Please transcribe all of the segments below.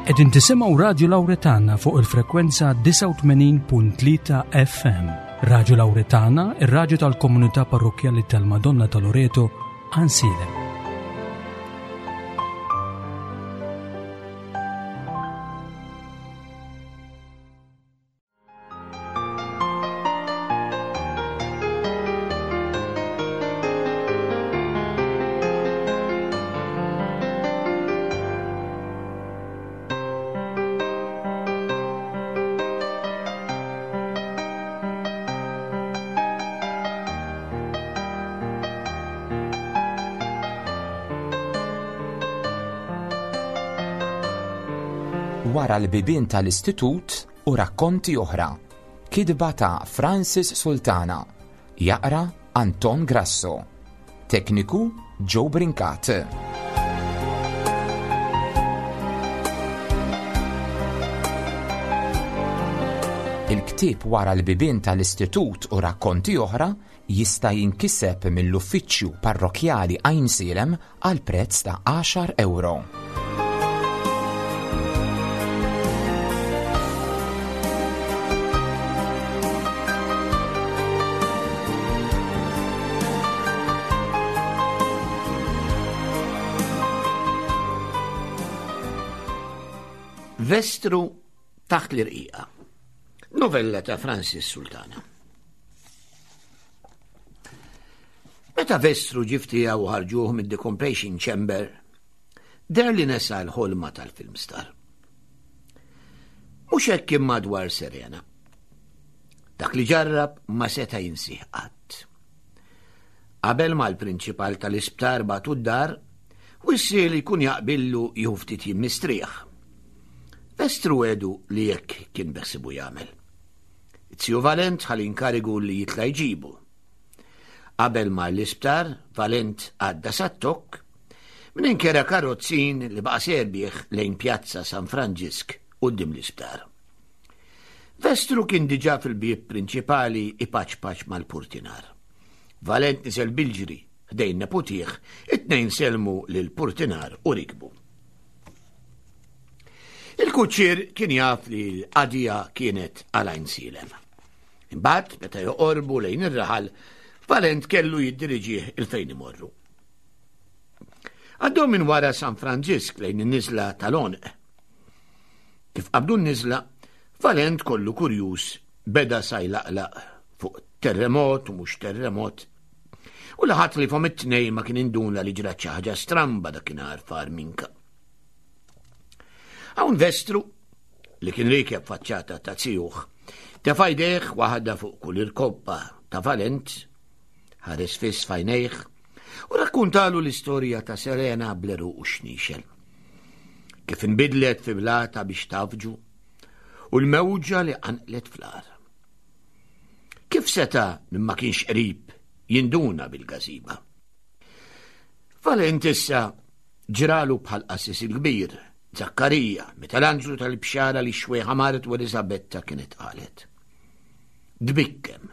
Qegħdin tisimgħu Radju Lawretana fuq il-frekwenza 89.3 FM. Radju Lawretana, ir-radju tal-komunità parrokkjali tal-Madonna ta' Loreto, Ansilem. Wara l-bibien tal-istitut u rakkonti oħra. Kitba ta' Francis Sultana. Jaqra Anton Grasso. Tekniku Joe Brincat. Il-ktieb Wara l-bibien tal-istitut u rakkonti oħra jista' jinkiseb mill-Uffiċċju Parrokkjali Għajnsielem għal prezz ta' għaxar ewro. Vestru taħt l-irqiqa. Novella ta' Francis Sultana. Meta Vestru ġie f'tiegħu u ħarġuh mid-decompression chamber, deher li nesa l-ħolma tal-film star. Mhux hekk imma dwar Serena. Dak li ġarrab ma seta' jinsih qatt. Qabel ma l-prinċipal tal-isptar bagħtu d-dar, wissi li jkun jaqbillu jieħu ftit jiem mistrieħ. Vestru għedu li hekk kien beħsibu jagħmel. It-ziju Valent ħa l-inkarigu li jitla' jġibu. Qabel mar l-isptar, Valent għadda sat-tokk, minn kera karozzin li baqa' serbieħ lejn Pjazza San Franġisk quddiem l-isptar. Vestru kien diġà fil-bieb prinċipali ipaċpaċ mal-purtinar. Valent niżel bil-ġri ħdejn neputih, it-tnejn sellmu lill-purtinar u rikbu. Il-kuċċier kien jaf li l-qadija kienet għal Għajnsielem. Imbagħad, meta joqorbu lejn ir-raħal, Valent kellu jiddiriġih il-fejn imorru. Għaddew minn wara San Franġisk lejn in-niżla tal-Għonq. Kif qabdu n-niżla, Valent kollu kurjuż beda sa jlaqlaq fuq terremot u mhux terremot. U li ħadd li fom it-tnejn ma kien induna li ġrat xi ħaġa stramba dakinhar far minka. Hawn Vestru, li kien riekeb faċċata ta' zijuh, tefa' jdejh waħda fuq kull irkoppa ta' Valent, ħares fiss f'għajnejh u rakkuntalu l-istorja ta' Serena bl-għeruq u x-xniexel. Kif inbidlet fi blata biex tafġu u l-mewġa li qanqlet fl-għar. Kif seta' min ma kienx qrib jinduna bil-gażiba? Valent issa Ġralu bħall-qassis il-kbir, Zakkarija, meta l-anġlu tal-bxara li x-xwejħa martu Eliżabetta kienet qalet. Tbikkem.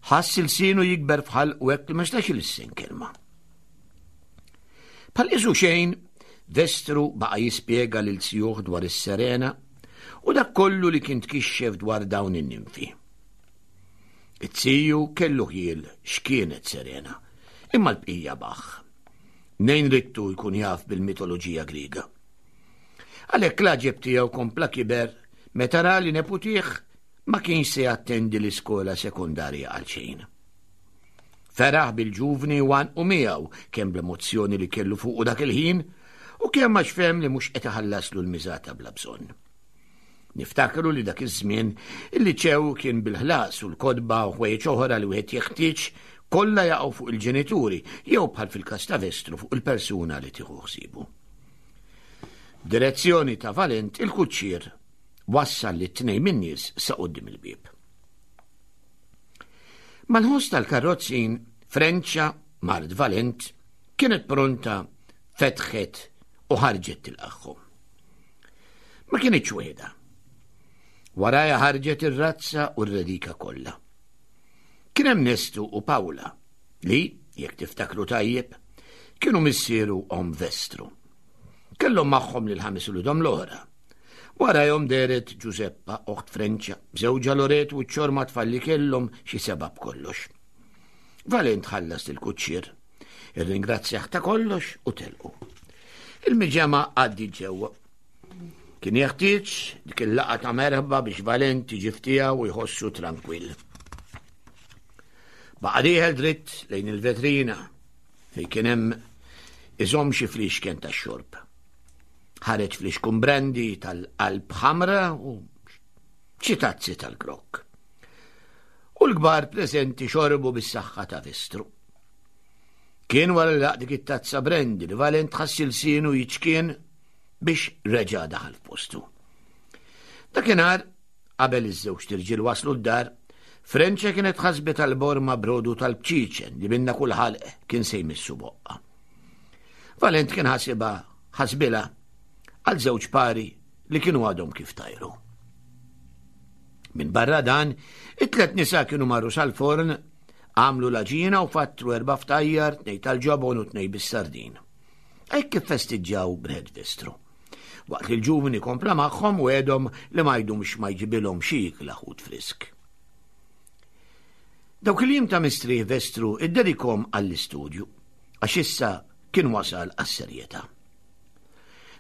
Ħass ilsienu jikber f'ħalqu hekk li ma setax ilissen kelma. Bħal qisu xejn, Vestru baqa' jispjega lil zijuh dwar is-Serena u dak kollu li kien tkixxef dwar dawn in-ninfi. It-ziju kellu ħjiel x'kienet Serena, imma l-bqija baħħ. Mnejn ridtu jkun jaf bil-mitoloġija Griega. Għalhekk l-għaġeb tiegħu kompla kiber meta ra li neputih ma kienx se jattendi l-iskola sekondarja għal xejn. Feraħ bil-ġuvni u għanqu miegħu kemm bl-emozzjoni li kellu fuqu dak il-ħin u kemm għax fehem li mhux qed iħallaslu l-miżata bla bżonn. Niftakru li dak iż-żmien il-liċew kien bil-ħlas u l-kotba u ħwejjeġ oħra li wieħed jeħtieġ kollha jaqgħu fuq il-ġenituri jew bħal fil-każ ta' Vestru fuq il-persuna li tieħu ħsiebu. B'direzzjoni ta' Valent il-kuċċier wassal lit-tnejn min-nies sa quddiem il-bieb. Mal-ħoss tal-karrozzin, Frenċa, mart Valent, kienet pronta, fetħet u ħarġet tilqagħhom. Ma kinitx waħedha. Warajha ħarġet ir-razza u r-redika kollha. Kien hemm Nestu u Pawla li, jekk tiftakru tajjeb, kienu missieru omm Vestru. Kellhom magħhom lil ħames ulidhom l-oħra. Warajhom dehret Ġużeppa, oħt Frenċa, b'żewġha Loretu u ċ-ċorma tfal li kellhom xi seba' b'kollox. Valent ħallas lill-kuċċier, irringrazzjah ta' kollox u telqu. Il-miġemgħa għaddiet ġewwa. Kien jeħtieġ dik il-laqgħa ta' merħba biex Valent jiġi f'tiegħu u jħossu trankwill. Baqa' dieħel dritt lejn il-vetrina fejn kien hemm iżomm xi fliexken tax-xorb. Ħareġ flixkun brandy tal-qalb ħamra u xi tazzi tal-grokk. U l-kbar preżenti xorbu bis-saħħa ta' Vestru. Kien wara li laq dik it-tazza brandy li Valent ħass ilsienu jiċkien biex reġa' daħal f'postu. Dakinhar Qabel iż-żewġt irġiel waslu d-dar, Frenċa kienet ħasbet għal borma brodu tal-bċiċen li minna kull ħalq kien se jmissu boqqa. Valent kien ħasibha ħasbilha għal żewġ pari li kienu għadhom kif tajru. Minn barra dan, it-tlet nisa kienu marru sal-forn, għamlu l-għaġina u fattru erba' ftajjar, tnej tal-ġobon u tnej bis-sardin. Hekk kif festiġġaw b'Red Vestru. Waqt li l-ġuvni kompla magħhom u għedhom li ma jdumx ma jġibilhom xi ikla ħut frisk. Dawk il-jiem ta' mistrieħ Vestru iddedikhom għall-istudju, għax issa kien wasal għas-serjetà.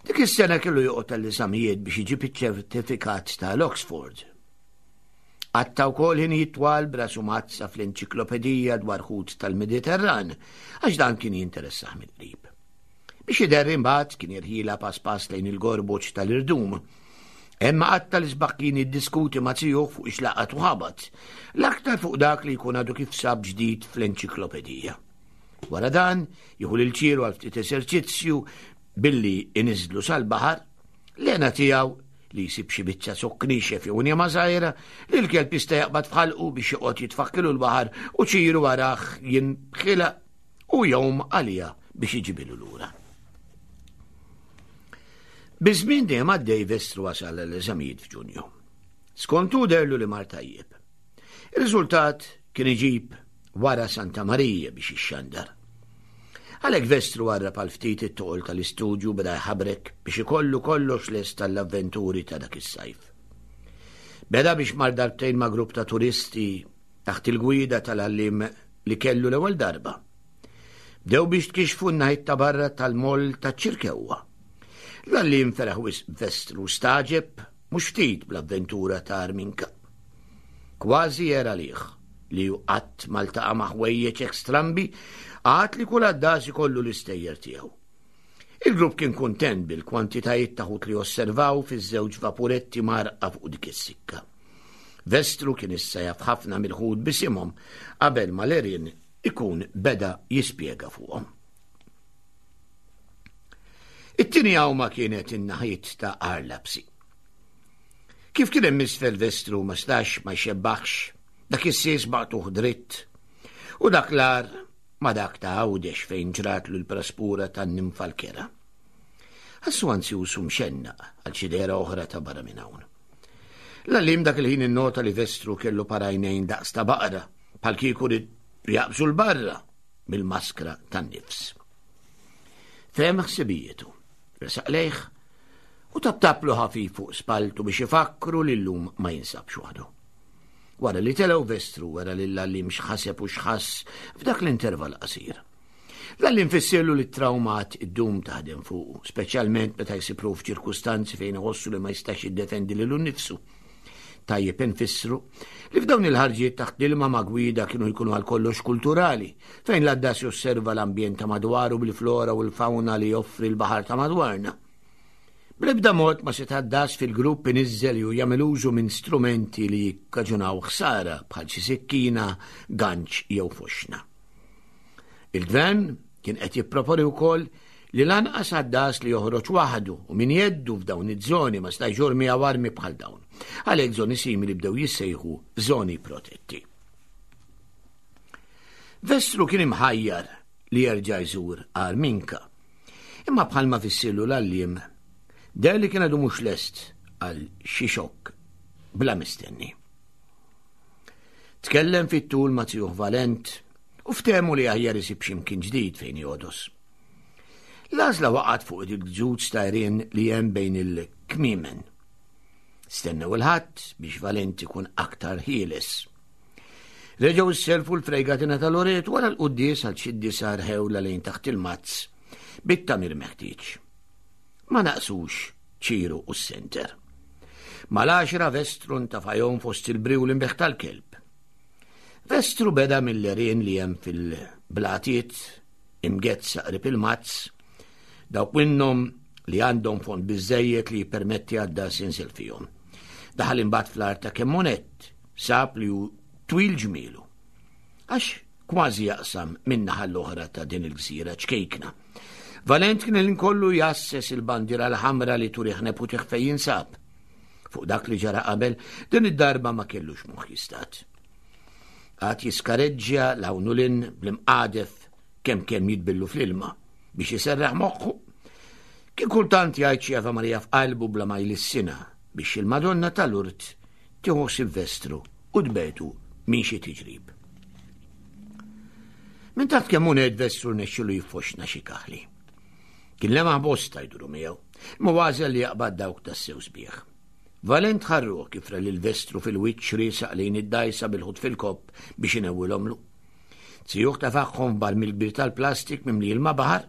Dik is-sena kellu joqgħod għall-eżamijiet biex iġib iċ-ċertifikat tal-Oxford. Qatta' wkoll ħinijiet twal b'rasu mgħaddsa fl-enċiklopedija dwar ħut tal-Mediterran, għax dan kien jinteressah mill-qrib. Biex iderri imbagħad kien jirħilha pass pass lejn il-gorboġ tal-irdum. Hemm qatta l-isbaħ kien jiddiskuti ma' zijuh fuq ix-laqat u ħabat, l-aktar fuq dak li jkun għadu kif sab ġdid fl-enċiklopedija. Wara dan, jieħu lil Ċiru għal ftit eżerċizzju billi iniżlu sal-baħar, l-hena tiegħu li jsib xi biċċa zokk niexef jew njama żgħira li l-kelb jista' jaqbad f'ħalqu biex joqgħod jitfakkilu l-baħar u Ċiru warah jinbħilha u jgħum għaliha biex iġibilu lura. Biż-żmien dejjem għaddej Vestru wasal l-eżamijiet f'Ġunju. Skont hu derlu li mar tajjeb. Ir-riżultat kien iġib wara Santa Marija biex jixxandar. Għalhekk Vestru warrab għal ftit it-toqol tal-istudju beda jħabrek biex ikollu kollox lest tal-avventuri ta' dak is-sajf. Beda biex mar darbtejn ma' grupp ta' turisti taħt il-gwida tal-għalliem li kellu l-ewwel darba. Bdew biex tkixxfu n-naħiet ta' barra tal-moll taċ-Ċirkewwa. L-għalliem feraħ wisq b'Vestru stagħġeb mhux ftit bl-avventura ta' Arminka. Kważi era għalih li hu qatt ma ltaqa' ma' ħwejjeġ hekk strambi, għad li kull għaddas ikollu l-istejjer tiegħu. Il-grupp kien kuntent bil-kwantitajiet ta' ħut li osservaw fiż-żewġ vapuretti mgħarrqa fuq dik is-sikka. Vestru kien issa jaf ħafna mill-ħut b'isimhom qabel ma l-għerien ikun beda jispjega fuqhom. It-tieni għawma kienet in-naħiet ta' Arlapsi. Kif kien hemm isfel Vestru ma stax ma jxebbaħx, dak is-sies maqtugħ dritt u dak l-għar ma dak ta' Għawdex fejn ġratlu l-praspura tan-nimfa l-kera. Ħassu anzjuż u mxennaq għal xi dehra oħra ta' barra minn hawn. L-għalliem dak il-ħin innota li Vestru kellu par għajnejn daqs ta' baqra, bħal kieku ried jaqbżu 'l barra mill-maskra tan-nifs. Fehem ħsibijietu, resaq lejh u taptaplu ħafif fuq spalltu biex ifakkru li llum ma jinsabx waħdu. Wara li telgħu Vestru wera lill-għalliem x'ħaseb u x'ħass f'dak l-intervall qasir. L-għalliem fissirlu li t-trawma għad iddum taħdem fuqu, speċjalment meta jsib ruħu f'ċirkustanzi fejn iħossu li ma jistax jiddefendi lilu nnifsu. Tajjeb infissru li f'dawn il-ħarġiet taħt l-ilma ma' gwida kienu jkunu għal kollox kulturali, fejn l-għaddas josserva l-ambjent ta' madwaru bil-flora u l-fawna li joffri l-baħar ta' madwarna. Bl-ebda mod ma seta' għaddas fil-grupp iniżżel jew jagħmel użu minn strumenti li jikkaġunaw ħsara bħal xi sikkina, ganċ jew foxna. Il-Gvern kien qed jipproponi wkoll li lanqas għaddas li joħroġ waħdu u min jeddu f'dawn iż-żoni ma stajx jur miegħu armi bħal dawn. Għalhekk żoni simili bdew jissejħu żoni protetti. Vestru kien imħajjar li jerġa' jżur Arminka. Imma bħalma fissirlu l-għalliem, deher li kien għadu mhux lest għal xi xokk bla mistenni. Tkellem fit-tul ma' zijuh Valent u ftehmu li aħjar isib xi mkien ġdid fejn jogħdos. L-għażla waqgħet fuq il-gżuz ta' għerien li hemm bejn il-kmiemen. Stennew il-Ħadd biex Valent ikun aktar ħieles. Reġgħu sselfu l-frejgatina ta' Loreto wara l-quddies għal xi disa' rħewla lejn taħt il-mazz bit-tagħmir meħtieġ. Ma naqsux Ċiru u s-senter. Mal-għaxra Vestru ntafajhom fost il-briw l-imbeħ tal-kelb. Vestru beda mill-għerien li hemm fil-blatiet imgezza qrib il-mazz, dawk minnhom li għandhom fond biżżejjed li jippermetti għad-das jinżel fihom. Daħal imbagħad fl-art ta' Kemmonet, sab li hu twil ġmielu. Għax kważi jaqsam min-naħa l-oħra ta' din il-gżira ċkejkna. Valent kien il-kollu jasses il-bandiera l-ħamra li turih neputih fejn jinsab. Fuq dak li ġara qabel, din id-darba ma kellux moħħ jistat. Għad jiskareġġja l-hawn u lin bl-imqadef kemm kemm jitbillu fl-ilma biex iserraħ moħħu. Kien kultant jgħid xi Ava Marija f'qalbu bla ma jlissina biex il-Madonna tal-Urt tieħu Silvestru u tbetu minn xi tiġrib. Minn taħt kemm hu Vestru nexxilu jiffoxna xi kaħli. Kien lemaħ bosta jduru miegħu, imma għażel li jaqbad dawk tassew sbieħ. Valent ħarruh kif ra lil Vestru fil-wiċċ riesaq lejn id-dgħajsa bil-ħut fil-kopp biex inewwilhomlu. Zijuh tefagħhom f'barmil kbir tal-plastik mimli ilma baħar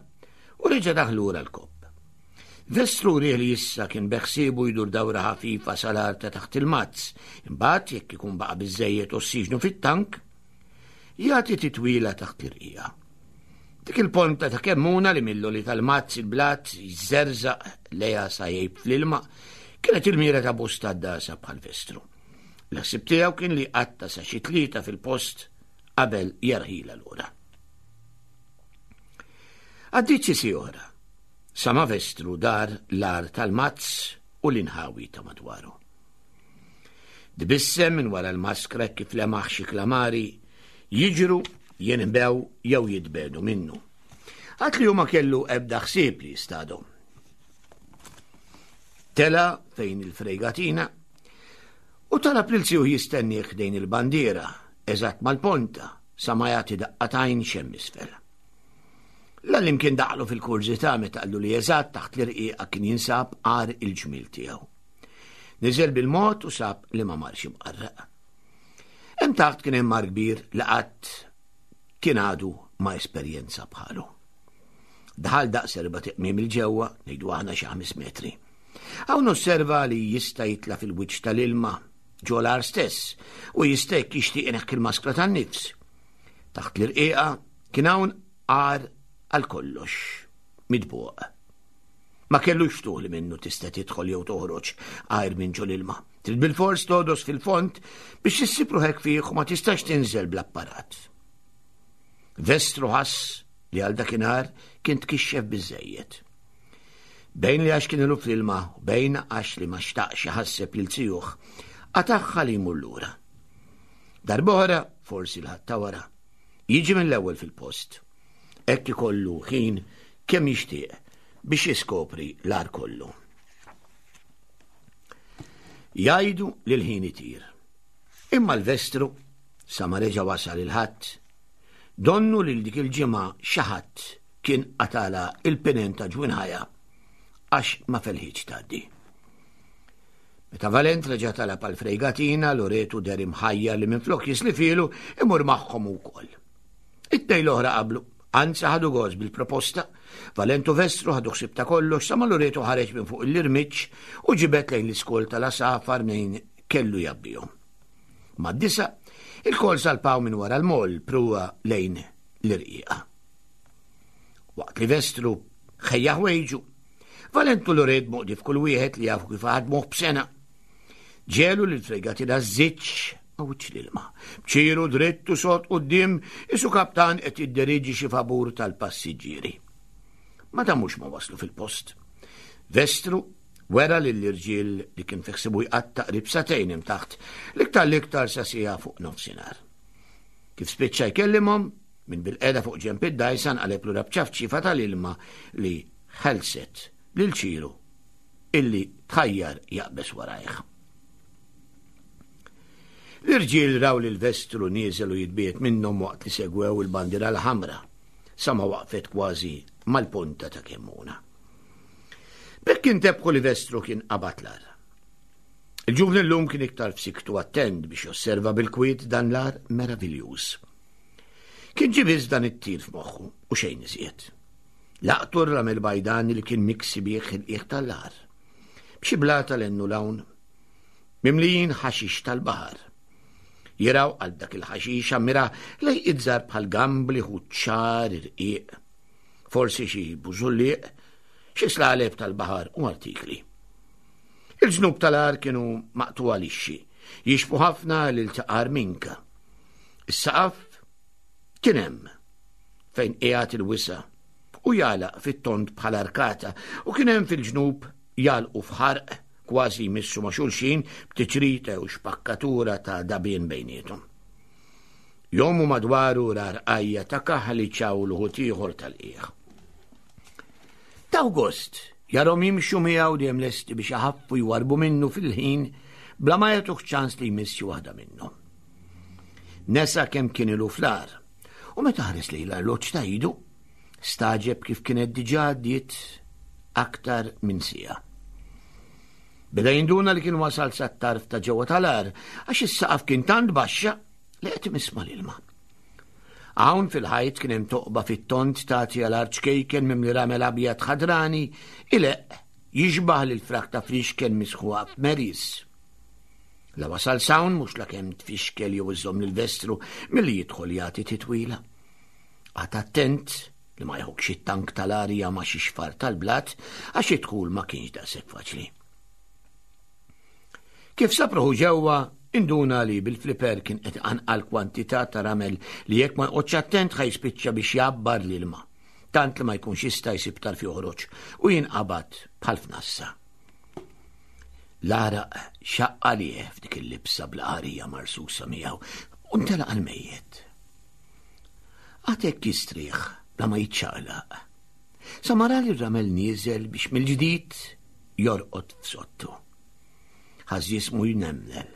u reġa' daħ lura l-kopp. Vestru wrieh li issa kien beħsiebu jdur dawra ħafifa sal-għar ta' taħt il-mazz, imbagħad jekk ikun baqa' biżżejjed ossiġnu fit-tank, jagħti titwila taħt l-irqiegħa. Dik il-ponta ta' kemmuna li mill-għoli tal-mazz il-blat jżerżaq lejha sa jgħib fl-ilma kienet il-mira ta' bosta għaddasa bħal Vestru. L-ħsieb tiegħu kien li jqatta' sa xi tlieta fil-post qabel jerħilha lura. Għaddiet xi siegħa oħra, sa ma Vestru dar l-għar tal-mazz u l-inħawi ta' madwaru. Tbissem minn wara l-maskra kif lemaħ xi klamari jiġru, jinħbew jew jitbedu minnu. Għad li hu ma kellu ebda ħsieb li jistadhom. Tela fejn il-frejgatina u talab lil zijuh jistennieh ħdejn il-bandiera, eżatt mal-ponta, sa ma jagħti daqqa t'għajn x'hemm isfel. L-għalliem kien daħlu fil-kurżità meta qallu li eżatt taħt l-irqiqa kien jinsab għar il-ġmiel tiegħu. Niżel bil-mod u sab li ma marx imqarraq. Hemm taħt kien hemm mar kbir li qatt kien għadu ma esperjenza bħalu. Daħal daqs erba' tiqmiem il-ġewwa, ngħidu aħna xi ħames metri. Hawn osserva li jista' jitla' fil-wiċċ tal-ilma ġo l-għar stess u jista' jekk jixtieq ineħħi l-maskra tan-nifs. Taħt l-irqiqa kien hawn għar għal kollox mitbuq. Ma kellux ftuħ li minnu tista' tidħol jew toħroġ għajr minn ġol ilma. Trid bilfors togħdos fil-fond biex issib ruħek fih u ma tistax tinżel bl-apparat. Vestru ħass li għal dakinhar kien tkixxef biżejjed. Bejn li għax kien ilu fl-ilma u bejn għax li ma xtaqx iħasseb lil zijuh, qatagħha li jmur lura. Darb'oħra, forsi l-Ħadd ta' wara, jiġi mill-ewwel fil-post. Hekk ikollu ħin kemm jixtieq biex jiskopri l-għar kollu. Jgħidu li l-ħin itir. Imma l-vestru, sa ma reġa' wasal il-Ħadd, donnu lil dik il-ġimgħa xi ħadd kien qatala il-pinen ta' ġwinħajha għax ma felħitx tgħaddi. Meta Valent reġa' talab għal frejgatina, Loretu deher imħajjar li minflok jislifielu imur magħhom ukoll. It-tnejn l-oħra qablu, anzi ħadu gost bil-proposta. Valent u Vestru ħadu ħsieb ta' kollox sa ma Loretu ħareġ minn fuq l-irmiġġ u ġibed lejn l-iskol tal-għasafar mnejn kellu jgħabbihom. Mad-disa, il-kol salpaw minn wara l-moll pruwa lejn l-irqiqa. Waqt li Vestru ħejja ħwejġu, Valent u Loret moqdi f'kull wieħed li jafu kif ħadmuh b'sena. Ġelu li l-fregatina żżidx ma' wiċċ l-ilma. B'ċiru dritt u sod quddiem isu kaptan qed jidderiġi xi vapur tal-passiġġieri. Ma damux ma waslu fil-post. Vestru wera lill-irġiel li kien fi ħsibu jqatta' qrib sagħtejn hemm taħt, l-iktar l-iktar sa siegħa fuq nofsinhar. Kif spiċċa jkellimhom, minn bilqiegħda fuq ġenb id-dgħajsa nqaleb lura b'ċafċifa tal-ilma li ħelset lil Ċiru illi tħajjar jaqbeż warajh. L-irġiel raw lil Vestru nieżel u jitbiegħed minnhom waqt li segwew il-bandiera l-ħamra sa ma waqfet kważi mal-ponta ta' Kemmuna. B'hekk intebħu li Vestru kien qabad l-għar. Il-ġuvni llum kien iktar f'siktu attent biex josserva bil-kwiet dan l-għar meraviljuż. Kien ġie biss dan it-tir f'moħħu u xejn iżjed. Laqtu r-ramel bajdani li kien miksi bih il-qiegħ tal-għar. B'xi blata l-ennu l-hawn, mimlijin ħaxix tal-baħar. Jiraw għal dak il-ħaxix ammira lej iżgħar bħal gambli ħuċċar irqiq. Forsi xi bużulliq, xi slaleb tal-baħar u artikli. Il-ġnub tal-għar kienu maqtuwa lixxi, jixbu ħafna lil taqar minka. Is-saqaf kien hemm fejn qiegħed il-wisa u jagħlaq fit-tond bħal arkata u kien hemm fil-ġnub jagħlqu f'ħarq kważi jmissu ma' xulxin b'tiċrita jew xpakkatura ta' dabien bejniethom. Jomu madwaru rarqajja ta' kaħli ċawl uħut ieħor tal-qiegħ. Taw gost jarhom jimxu miegħu dejjem lesti biex iħaffu jwarbu minnu fil-ħin bla ma jagħtuh ċans li jmiss xi waħda minnhom. Nesa kemm kien ilu fl-għar u meta ħares lejn l-arloġġ ta' idu, Stagħġeb kif kienet diġà għaddiet aktar minn siegħa. Beda jinduna li kien wasal sat-tarf ta' ġewwa tal-għar għax is-saqaf kien tant baxxa li qed imiss mal-ilma. Hawn fil-ħajt kien hemm toqba fit-tond tagħti għal art ċkejken mimli ramel abjad ħadrani ileqq jixbah lil frak ta' frixken misħuqa f'meris. La wasal s'hawn mhux la kemm tfixkel jew iżżomm lill-vestru milli jidħol jagħti titwila. Qagħad attent li ma jħokkx it-tank tal-arja ma' xi xfar tal-blat għax id-dħul ma kienx daqshekk faċli. Kif sab ruħu ġewwa, induna li bil-fliper kien qed iqanqal kwantità ta' ramel li jekk ma joqgħodx attent ħa jispiċċa biex jgħabbar l-ilma, tant li ma jkunx jista' jsib tarf joħroġ u jinqabad bħal f'nassa. L-għaraq xaqq għalih f'dik il-libsa bla qarija marsusa miegħu u ntelaq għall-mejjet. Għad hekk jistrieħ bla ma jiċċaqlaq. Sa ma ra li r-ramel nieżel biex mill-ġdid jorqod f'sottu. Ħass jismu jnemnel.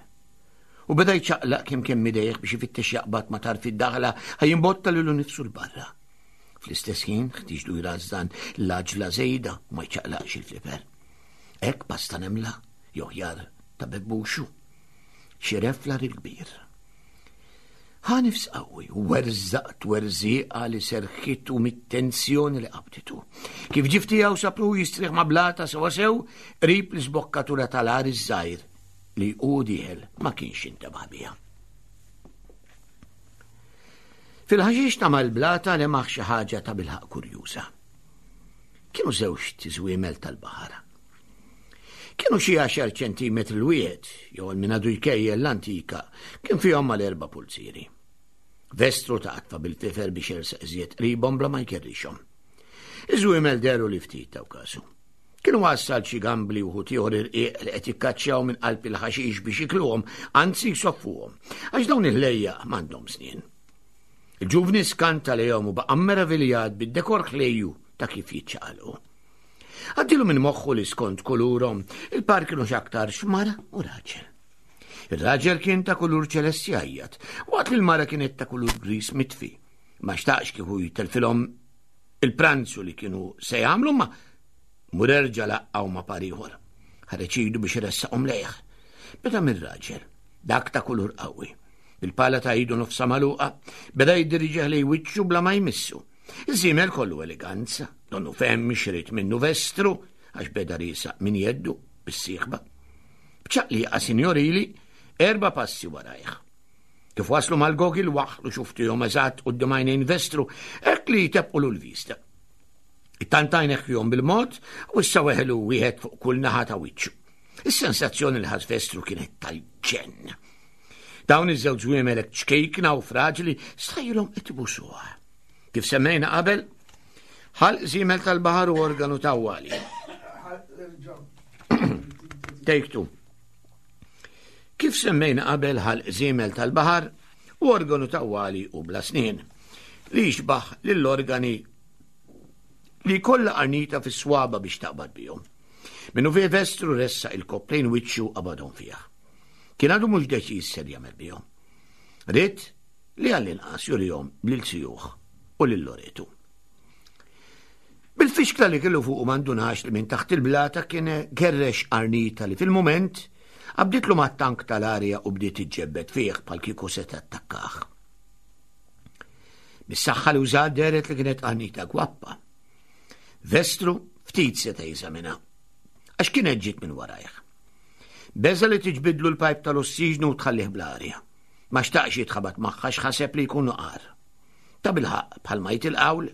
U beda jċaqlaq kemm kemm idejh biex ifittex jaqbad ma tarf id-daħla ħa jimbotta lilu nifsu l-barra. Fl-istess ħin ħtiġlu jrażżan l-għaġla żejda u ma jċaqlaqx il-fliper. Hekk pasta nemla jew ħjar ta' bebbuxu. Xi reflar il-kbir. Ħa nifs qawwi u werżaq twerżiqa li serħitu mit-tensjoni li qabditu. Kif ġie f'tiegħu sab ruħu jistrieħ ma' blata sewwasew qrib l-isbokkatura tal-għar iż-żgħir li hu dieħel ma kienx intebaħ biha. Fil-ħaxix ta' mal-blata lemaħ xi ħaġa ta' bilħaq kurjuża. Kienu żewġt iżwiemel tal-baħar. Kienu xi għaxar ċentimetri l-wieħed, jew għal min għadu jkejjel l-antika, kien fihom mal-erba' pulzieri. Vestru ta' qatfa bil-fifer biex jersaq iżjed qribhom bla ma jkerrixhom. Iż-żwiemel dehru li ftit taw kasu. Kienu għassal xi gambli u ħut ieħor irqiq li qed jikkaċċjaw minn qalb il-ħaxix biex jikluhom, anzi jsoffuhom, għax dawn il-ħlejjaq m'għandhom snien. Il-ġuvni skanta lejhom u baqa' meraviljat bid-dekor ħlejju ta' kif jiċċaqalqu. Għaddilu minn moħħu li skont kulurhom, il-par kienu x'aktarx mara u raġel. Ir-raġel kien ta' kulur ċelesti għajjat, waqt li l-mara kienet ta' kulur gris mitfi. Ma xtaqx kieku jtelfilhom il-pranzu li kienu se jagħmlu ma mur erġa' laqqgħu ma' par ieħor. Ħareġ idu biex iressaqhom lejh. Beda mir-raġel, dak ta' kulur qawwi. Bil-pala ta' idu nofsa magħluqa, beda jiddiriġih lejn wiċċu bla ma jmissu. Iż-żiemel kollu eleganza, donnu fehem x'ried minnu Vestru għax beda riesaq minn jeddu bis-sieħba. B'ċaqliqa sinjorili, erba' passi warajh. Kif waslu mal-gogil waħħlu xuftihom eżatt quddiem għajnejn Vestru, hekk li jtebqulu l-vista. Ittantajn fihom bil-mod u issa weħlu wieħed fuq kull naħa ta' wiċċu. Is-sensazzjoni li ħass Vestru kienet tal-ġenn. Dawn iż-żewġ żwiemel hekk ċkejkna u fraġli stħajjilhom qed ibusuha. Kif semmejna qabel, ħalq żiemel tal-baħar u organu tawwali. Take two. Kif semmejna qabel ħalq żiemel tal-baħar u organu tawwali u bla snien li jixbaħ lill-organi li jkollha qarnita fis-swaba biex taqbad bihom. Minnu fih vestru ressa il-koplejn wiċċu qabadhom fih. Kien għadu mhux deċiż ser jagħmel bihom. Ried li għall-inqas jurihom lil sijuh u lil Loretu. Bil-fixkla li kellu fuqu ma ndunax li minn taħt il-blata kien gerrex qarnita li fil-mument qabditlu mat-tank tal-arja u bdiet iġġebbed fih bħal kieku se tattakkah. Mis-saħħa li użat dehret li kienet qarnita gwappa. Vestru ftit seta' jeżamina għax kienet ġiet minn warajh. Beża li tiġbidlu l-pajp tal-ossiġnu u tħallih bl-arja. Ma xtaqx jitħabat magħha x'ħaseb li jkunu qar. Ta' bilħaq bħalma jgħid il-qawl,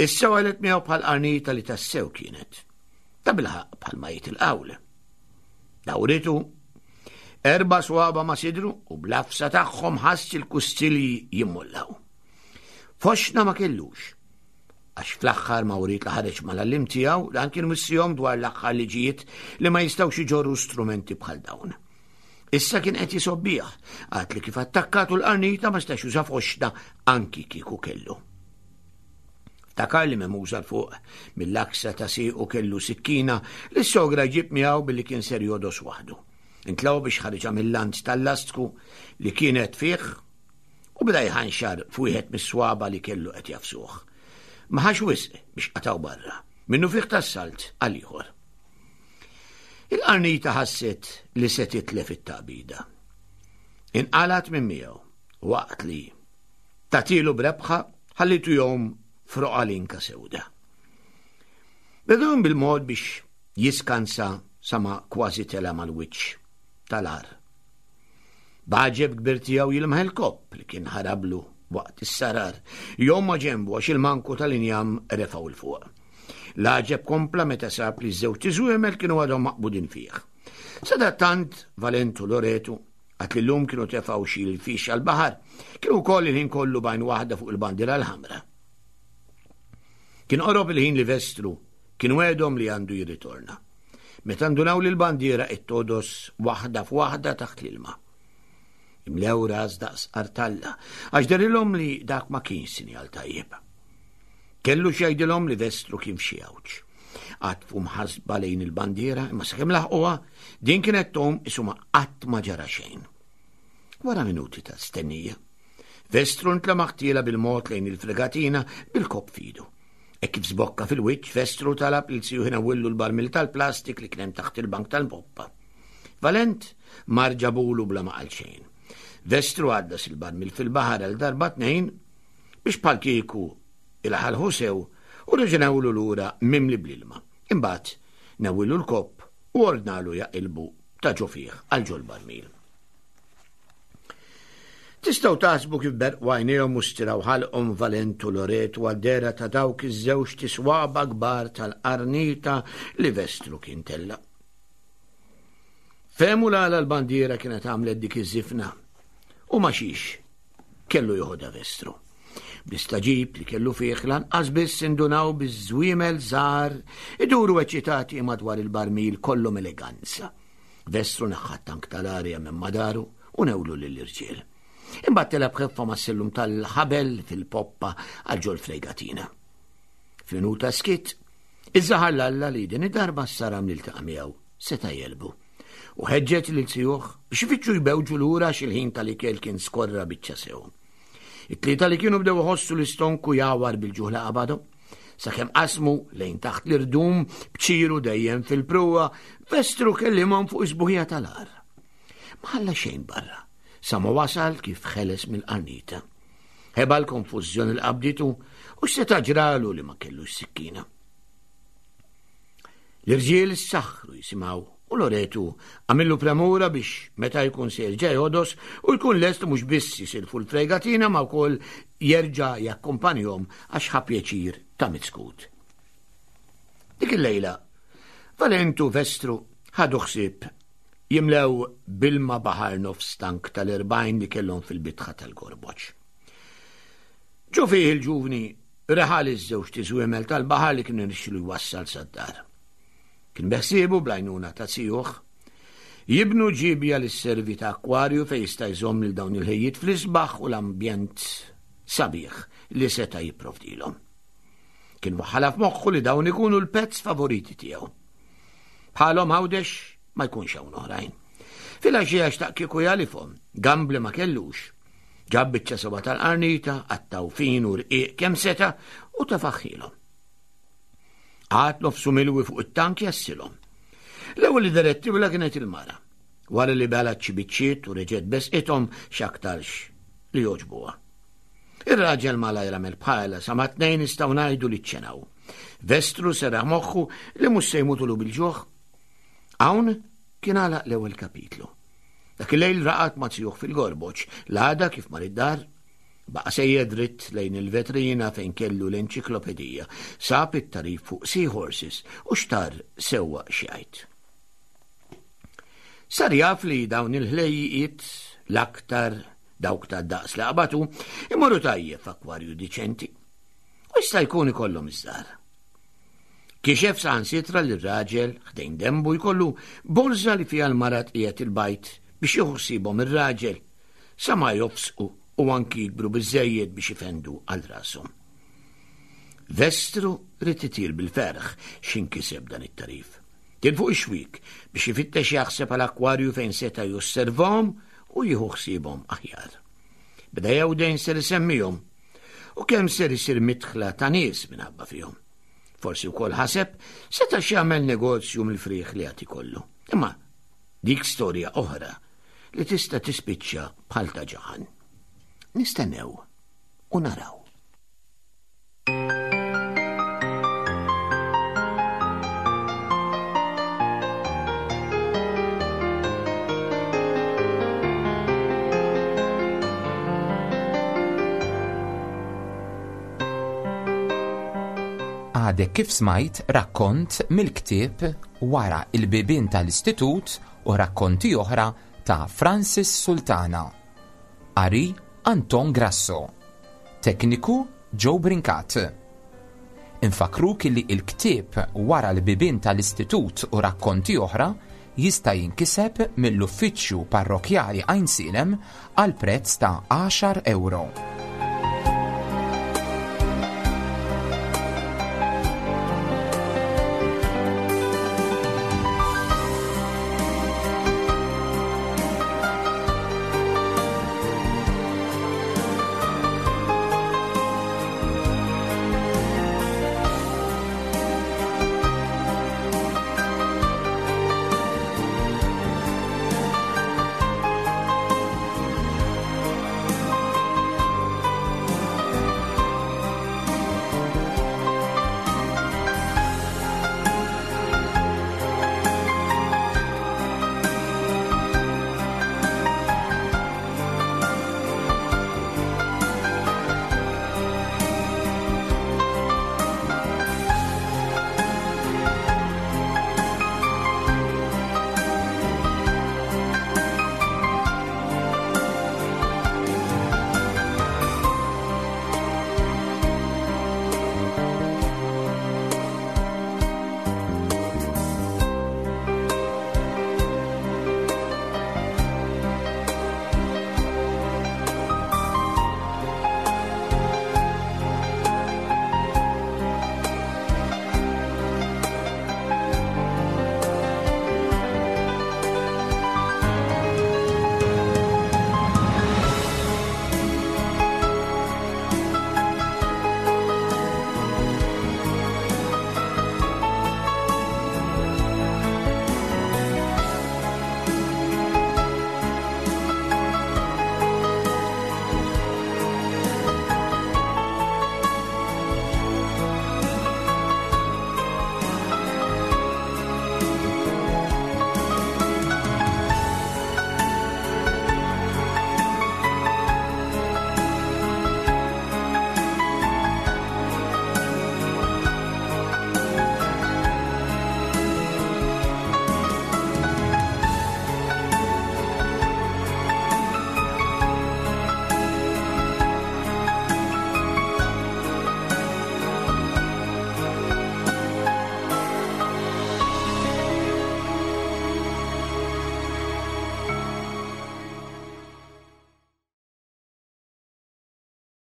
issa għalet miegħu bħal qarnita li tassew kienet. Ta' bilħaq bħalma jgħid il-qawl. Dawritu erba' swaba ma' sidru u blafsa tagħhom ħass il-kustilji jimmollaw. Foxna ma kellux, għax fl-aħħar ma wriet li ħareġ mal-għallim tiegħu dan kien wissihom dwar l-aħħar liġijiet li ma jistgħux iġorru strumenti bħal dawn. Issa kien qed jisobbih, għad li kif attakkatu l-qarnita ma stax juża foxna anki kieku kellu. Ftakar li memuża fuq mill-aksa ta' siequ kellu sikkina li s-sogra jġib miegħu billi kien ser jodos waħdu. Intlaw biex ħariġha mill-lant tal-lastku li kienet fih u beda jħanxar f'wieħed mis-swaba li kellu qed jafsuh. Ma ħax wisq biex qataw barra, minnu fih tas-salt għal ieħor. Il-qarnita ħasset li se titlef it-taqbida. Inqalat minn miegħu waqt li tatilu b'rebħa ħallitu jom froqa linka sewda. Bedun bil-mod biex jiskansa sama kważi tela mal-wiċċ tal-ar. B'għaġeb kbir tiegħu jilmaħ il-kopp li kien ħarablu waqt is-sarar, jom ma' ġenbu għax il-manku tal-injam refgħu 'l fuq. L-għaġeb kompla meta sab li ż-żewġt iżwiemel kienu għadhom maqbudin fih. Sadattant, Valentu Loretu, għad li llum kienu tefgħu xi l-fix għall-baħar, kienu wkoll il-ħin kollu b'għajn waħda fuq il-bandiera l-ħamra. Kien qorob il-ħin li Vestru kien wegħdhom li għandu jirritorna. Meta ndunaw li l-bandiera qed todos waħda f'waħda taħt l-ilma. Imlew ras daqs qartalla, għax derilhom li dak ma kienx sinjal tajjeb. Kellu x'jgħidilhom li Vestru kien f'xi għawġ. Għatfu mħasba lejn il-bandiera, imma sakemm laħquha, din kienet tom isuma qatt ma ġara xejn. Wara minuti ta' stennija, Vestru ntlemaħ tiela bil-mod lejn il-fregatina bil-kopp fidu. E kif żbokka fil-wiċċ, Vestru talab lil siju ħinawillu l-barmil tal-plastik li kien hemm taħt il-bank tal-poppa. Valent mar ġabulu bla ma qal xejn. Vestru għaddas il-barmil fil-baħar għal darba tnejn biex bħal kieku ilaħalħu sew u reġa' lura mimli bl-ilma. Imbagħad newwilu l-kopp u ordnalu jaqilbu ta' ġo fih għal ġol-barmil. Tistgħu taħsbu kif berqu għajnejhom u stiraw ħalqhom Valent u Loretu għad-dehra ta' dawk iż-żewġt iswaba kbar tal-qarnita li Vestru kien tella'. Fehmu l-għala l-bandiera kienet għamlet dik iż-żifna u ma xiex kellu joħodha Vestru. Bl-istaġib li kellu fih lanqas biss indunaw biż-żwiemel żgħar iduru eċitati madwar il-barmil kollhom eleganza. Vestru neħħa t-tank tal-arja minn madaru u newlu lill-irġiel. Imbagħad tela' b'ħeffa mas-sellum tal-ħabel fil-poppa għal ġol fregatina. F'minuta skiet, iż-żaħar l-Alla li din id-darba s-saram li ltaqa' miegħu seta' jelbu. U ħeġġeġ lil zijuh biex ifittxu jbewġu lura x'il-ħin tal-ikel kien skorra biċċa sew. It-tlieta li kienu bdew iħossu l-istonku jawar bil-ġuħ li qabadhom. Sakemm qasmu lejn taħt l-irdum b'ċiru dejjem fil-pruwa, Vestru kellimhom fuq is-sbuħija tal-għar. Ma ħalla xejn barra, sa ma wasal kif ħeles mill-qarnita. Ħeba l-konfużjoni li qabditu u x'seta' ġralu li ma kellux sikkina. L-irġiel issaħħru jisimgħu u Loretu għamillu premura biex meta jkun se jerġa' jodos u jkun lest mhux biss jisilfu l-fregatina ma wkoll jerġa' jakkumpanjhom għax ħa pjaċir ta' miskut. Dik il-lejla, Valentu Vestru ħadu ħsieb jimlew bilma baħar nofs tank tal-40 li kellhom fil-bitħa tal-gorboċ. Ġo fih il-ġuvni reħal iż-żewġt iżwiemel tal-baħar li kien irnexxielu jwassal sad-dar. Kien beħsiebu bl-għajnuna ta' zijuh jibnu ġiebja li sservi ta' akkwarju fejn jista' jżomm lil dawn il-ħejjiet fl-isbaħ u l-ambjent sabiħ li seta' jipprovdilhom. Kien waħħalha f'moħħu li dawn ikunu l-pets favoriti tiegħu. Bħalhom Għawdex ma jkunx hawn oħrajn. Filgħaxija xtaq kieku jagħlifhom, gambli ma kellux. Ġab biċċa sewwa tal-qarnita, qattgħu fin u rqiq kemm seta' u tefaħħilhom. Qagħad nofsu milwi fuq it-tank jassilhom. L-ewwel li direttivla kienet il-mara. Wara li belat xi biċċiet u reġgħet besqithom x'aktarx li jogħġbuha. Ir-raġel malajr għamel bħalha sa ma tnejn nistgħu ngħidu li ċċenaw. Vestru serraħ moħħu li mhux se jmutulu bil-ġuħ. Hawn kien għalaq l-ewwel kapitlu. Dak il-lejl raqad ma' zijuh fil-gorboċ, l-għada kif mar id-dar, baqa' sejjer dritt lejn il-vetrina fejn kellu l-enċiklopedija, sab it-tarif fuq seahorses u xtar sewwa x'jgħid. Sar jaf li dawn il-ħlejjiet l-aktar dawk ta' daqs li qabatu imorru tajjeb f'akwarju diċenti. U jista' jkun ikollhom iż-żgħar. Kixef saħansitra li r-raġel ħdejn dembu jkollu borża li fiha l-mara tqiegħed il-bajd biex jieħu ħsiebhom ir-raġel sa ma jofsqu u anki jikbru biżżejjed biex ifendu għal rashom. Vestru ried itir bil-ferħ x'inkiseb dan it-tagħrif. Kien fuq ix-xwiek biex ifittex jaħseb għal akwarju fejn seta' josservahom u jieħu ħsiebhom aħjar. Beda jewdejn ser isemmihom u kemm ser isir midħla ta' nies minħabba fihom. Forsi wkoll ħaseb seta' x'jagħmel negozju mill-frieħ li għad ikollu. Imma dik storja oħra li tista' tispiċċa bħal ta' ġaħan. Nistennew u naraw. Għadek kif smajt rakkont mill-ktieb Wara il-bibien tal-Istitut u rakkonti oħra ta' Francis Sultana. Qari Anton Grasso. Tekniku Joe Brincat. Infakkruk illi il-ktieb Wara l-bibien tal-Istitut u rakkonti oħra jista' jinkiseb mill-Uffiċċju Parrokkjali Għajnsielem għal prezz ta' għaxar ewro.